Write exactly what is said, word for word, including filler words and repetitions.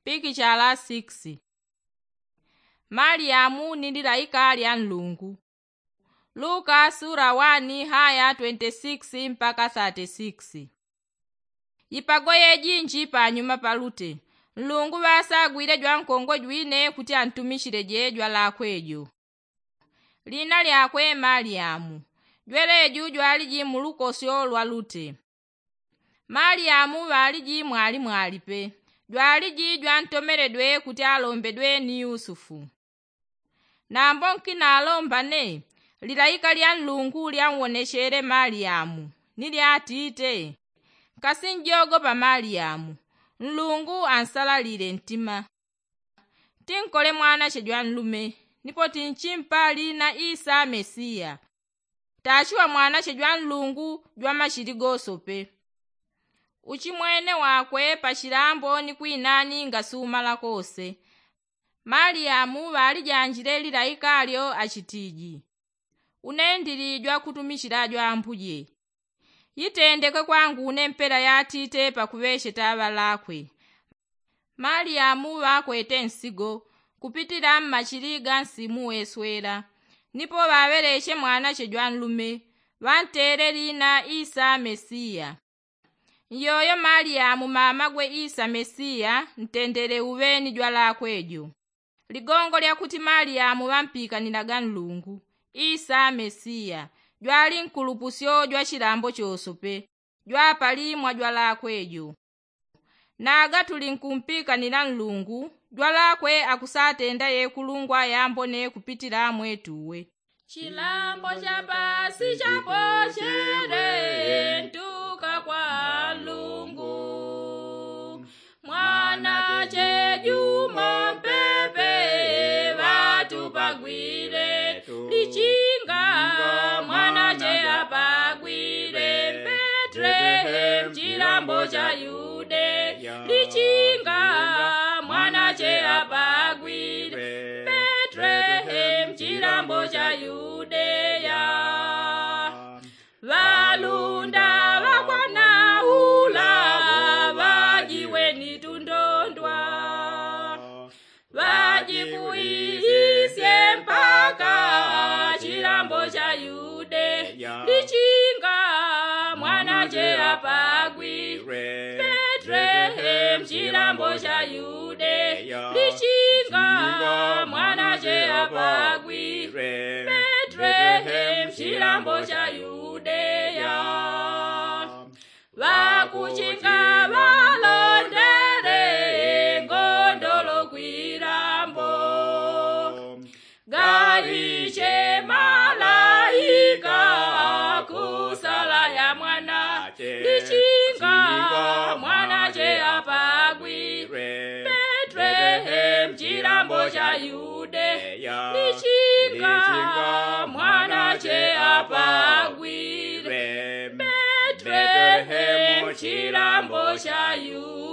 Pikichala sikisi. Maliyamu ni lilaika lya nlungu. Luka sula wani haya twenti sikisi mpaka thati sikisi. Ipago yejinji panyuma palute, nlungu ŵasagwile jwankongwe jwine kuti antumichile je jwalakwe jo. Lina lyakwe maliyamu. Jweleju jwaliji mulukosyo lwa lute. Maliyamu ŵaliji mwalimwali pe, jwaliji jwantomeledwe kuti alombedwe ni yusufu. Nambo nkinalomba ne, lilaika lya nlungu lyanwonechele maliyamu, ni lyatite, nkasinjogopa maliyamu, nlungu ansalalile ntima. Tinkole mwanache jwanlume, nipo tinchimpa lina isa mesiya. Tachiwa mwanache jwanlungu jwamachili gosope. Uchimwene wakwe pachilambo ni kwinani ngasumala kose. Maliyamu ŵalijanjile lilaika lyo achitiji, unendili jwakutumichila jwambuje. Itendeke kwangu une mpela yatite pakuŵecheta ŵalakwe. Maliyamu ŵakwete nsigo, kupitila mmachili ga nsimu weswela, nipo ŵaŵeleche mwanache jwanlume, ŵantele lina isa mesiya. Nyoyo maliyamu mamagwe isa mesiya ntendele uŵeni jwalakwe jo. Ligongo lyakuti maliyamu ŵampikanilaga nlungu, isa mesiya, jwali nkulupusyo jwachilambo chosope, jwapali mwa jwalakwe jo. Naga tuli nkumpikanila nlungu, jwalakwe akusatenda yekulungwa yambone kupitila mwetuwe. Chilambo chapasi chapochele ntuka kwa nlungu. Mwanache juma mpepe ŵatupagwile, lichinga mwanache apagwile mbetlehemu chilambo cha yudeya. Lichinga mwanache apagwile mbetlehemu chilambo cha yudeya. Ŵalunda ŵakwanaula ŵajiwe ni tundondwa, ŵajikuisye mpaka chilambo cha yudeya. Lichinga mwanache apagwile mbetlehemu chilambo cha yudeya. Lichinga mwanache apagwile mbetlehemu chilambo cha yudeya. Ŵakuchinga ŵalondele ngondolo kwilambo, gaiche malaika kusala ya mwanache. Lichinga mwanache apagwile mbetlehemu chilambo cha yudeya. Lichinga mwanache apagwile mbetlehemu chilambo cha yudeya.